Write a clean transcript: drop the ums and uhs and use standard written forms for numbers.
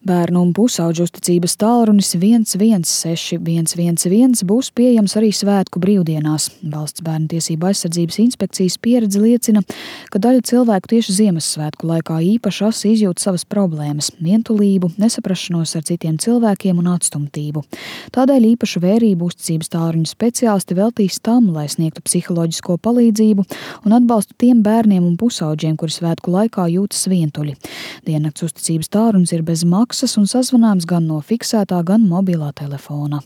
Bērnu un pusauģu uzticības tālrunis 116 111 būs pieejams arī svētku brīvdienās. Valsts bērnu tiesību aizsardzības inspekcijas pieredze liecina, ka daļa cilvēku tieši Ziemassvētku laikā īpaši asi izjūt savas problēmas – vientulību, nesaprašanos ar citiem cilvēkiem un atstumtību. Tādēļ īpašu vērību uzticības tālruņa speciālisti veltīs tam, lai sniegtu psiholoģisko palīdzību un atbalstu tiem bērniem un pusauģiem, kuri svētku laikā jūtas vientuļi. Diennakts uzticības tālrunis ir bez maksas un sazvanāms gan no fiksētā, gan mobilā telefona.